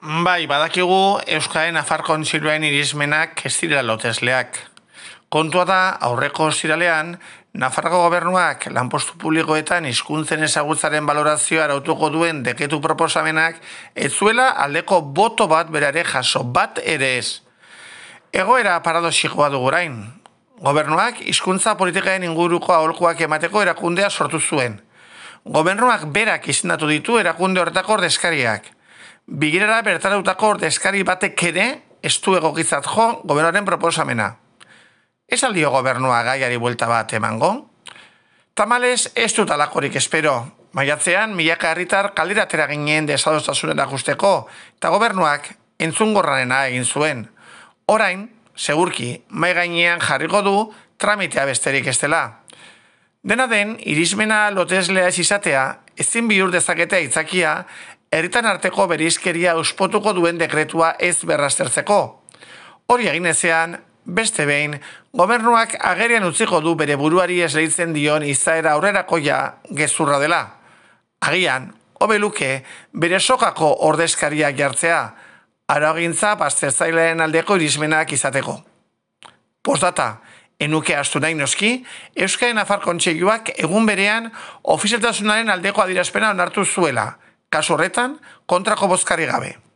Bai, badakigu Euskaren Nafar Kontseiluaren irizmenak ez direla lotesleak. Kontua da, aurreko ostiralean, Nafarroko gobernuak lanpostu publikoetan hizkuntzen ezagutzaren balorazioa arautuko duen dekretu proposamenak ez zuela aldeko boto bat berare jaso, bat ere ez. Egoera paradoxikoa dugu orain. Gobernuak hizkuntza politikaren inguruko aholkuak emateko erakundea sortu zuen. Gobernuak berak izendatu ditu erakunde horretako ordezkariak. Bigirara bertaratutako ordezkari batek ere ez du egokitzat jo gobernuaren proposamena. Ez aldio gobernua gaiari buelta bat emango? Tamalez ez dut alakorik espero. Maiatzean, milaka herritar kaldera atera ginen desadostasunen akusteko eta gobernuak entzungorrarena egin zuen. Orain, segurki, mai gainean jarriko du tramitea besterik ez dela. Dena den, irizmena loteslea ez izatea, ezin bihur dezaketea aitzakia, herritan arteko bereizkeria uspotuko duen dekretua ez berraztertzeko. Hori egin ezean, beste behin, gobernuak agerian utziko du bere buruari esleitzen dion izaera aurrerakoia gezurra dela. Agian, hobe luke, bere sokako ordezkariak jartzea, araugintza baztertzaileen aldeko irizmenak izateko. Postdata, enuke astu nahi noski, Euskaren Nafar Kontseiluak egun berean ofizialtasunaren aldeko adierazpena onartu zuela, kasu horretan kontrako bozkari gabe.